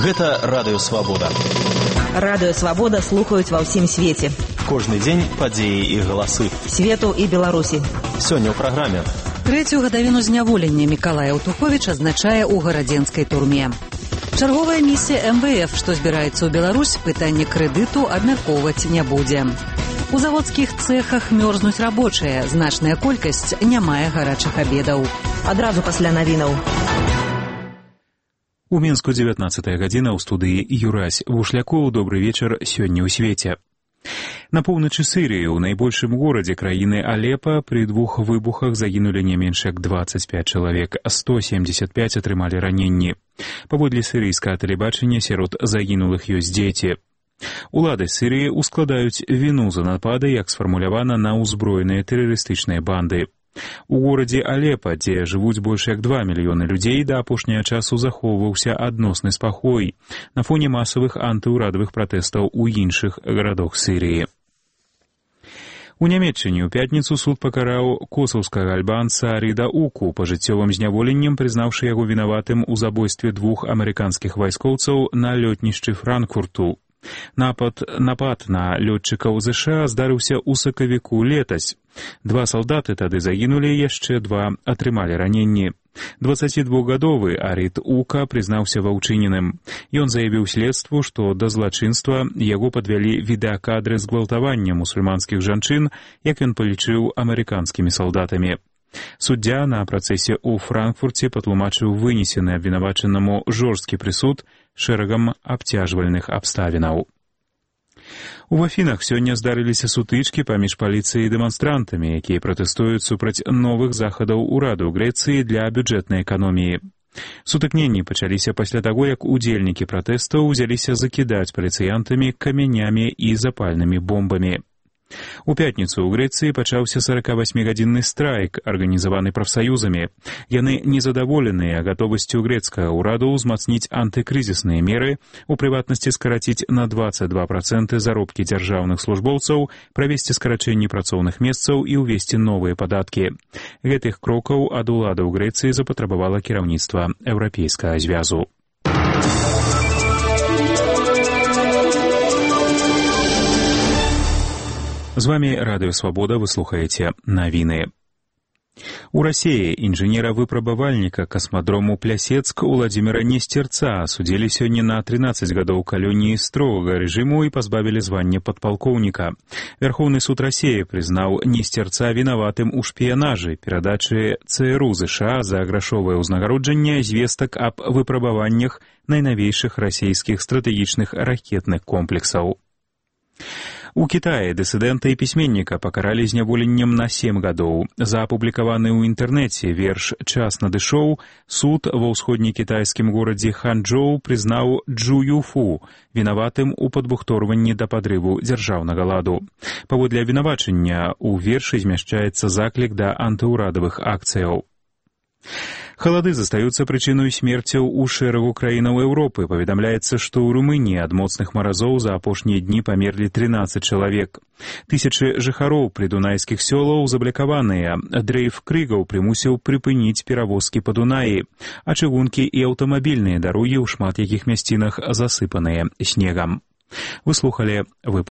Гэта Радыё Свабода. Радыё Свабода слухаюць ва ўсім свеце. Кожны дзень падзеі і галасы. Свету і Беларусі. Сёння ў праграме. Трэцюю гадавіну зняволення Мікалай Аўтуховіч адзначае ў гарадзенскай турме. Чарговая місія МВФ, што збіраецца ў Беларусь, пытанне крэдыту абмяркоўваць не будзе. У заводскіх цэхах мёрзнуць рабочыя, значная колькасць не мае гарачых абедаў. Адразу пасля навінаў. У Мінску 19 гадзіна ў студыі Юрась Вушлякоў. Добры вечар сёння ў свеце. На поўначы Сірыі, у найбольшым горадзе краіны Алепа, пры двух выбухах загінулі не менш як 25 чалавек, 175 атрымалі раненні. Паводле сірыйскага тэлебачання, сярод загінулых ёсць дзеці. Улады Сірыі ускладаюць віну за напады, як сфармулявана, на ўзброеныя тэрарыстычныя банды. У горадзе Алепа, дзе жывуць больш як 2 мільёны людзей, да апошняга часу захоўваўся адносны спакой на фоне масавых антыўрадавых пратэстаў у іншых гарадах Сірыі. У Нямецчыне ў пятніцу суд пакараў косаўскага альбанца Ріда Уку пажыццёвым зняволеннем, прызнаўшы яго вінаватым у забойстве 2 амерыканскіх вайскоўцаў на лётнішчы Франкфурту. Напад на лётчыкаў ЗША здарыўся ў сакавіку летась. 2 салдаты тады загінулі, яшчэ 2 атрымалі раненні. 22-гадовы Арід Ука прызнаўся ва ўчыненым. Ён заявіў следству, што да злачынства яго падвялі відэакадры згвалтавання мусульманскіх жанчын, як ён палічыў, амерыканскімі салдатамі. Суддзя на працэсе ў Франкфурце патлумачыў вынесены абвінавачанаму жорсткі прысуд шэрагам абцяжвальных абставінаў. У Афінах сёння здарыліся сутычкі паміж паліцыяй і дэманстрантамі, якія пратэстуюць супраць новых захадаў ураду Грэцыі для бюджэтнай эканоміі. Сутыкненні пачаліся пасля таго, як удзельнікі пратэстаў узяліся закідаць паліцыянтамі камянямі і запальнымі бомбамі. У пятніцу ў Грэцыі пачаўся 48-гадзінны страйк, арганізаваны прафсаюзамі. Яны незадаволеныя гатовасцю грэцкага ўраду ўзмацніць антыкрызісныя меры, у прыватнасці скараціць на 22% заробкі дзяржаўных службоўцаў, правесці скарачэнні працоўных месцаў і ўвесці новыя падаткі. Гэтых крокаў ад уладаў Грэцыі запатрабавала кіраўніцтва Еўрапейскага звязу. З вами Радыё Свабода, вы слухаеце навіны. У Расіі інжынера-выпрабавальніка касмадрому Плясецк Уладзіміра Несцерца асудзілі сёння на 13 гадоў калоніі строгага рэжыму і пазбавілі звання падпалкоўніка. Вярхоўны суд Расіі прызнаў Несцерца вінаватым у шпіянажы, перадачы ЦРУ ЗША за грашовае ўзнагароджанне звестак аб выпрабаваннях найнавейшых расійскіх стратэгічных ракетных комплексаў. У Кітаі дысідэнта і пісьменніка пакаралі зняволеннем на 7 гадоў. За апублікаваны ў інтэрнэце верш «Час надышоў» суд ва ўсходнекітайскім горадзе Ханчжоу прызнаў Чжу Юфу вінаватым у падбухторванні да падрыву дзяржаўнага ладу. Паводле абвінавачання ў вершы змяшчаецца заклік да антыўрадавых акцыяў. Халады застаюцца прычынай смерцяў у шэрагу краінаў Еўропы. Паведамляецца, што ў Румыніі ад моцных маразоў за апошнія дні памерлі 13 чалавек. Тысячы жыхароў прыдунайскіх сёлаў заблакаваныя. Дрейф крыгаў прымусіў прыпыніць перавозкі па Дунаі, а чыгункі і аўтамабільныя дарогі ў шмат якіх мясцінах засыпаныя снегам. Вы слухалі выпуск.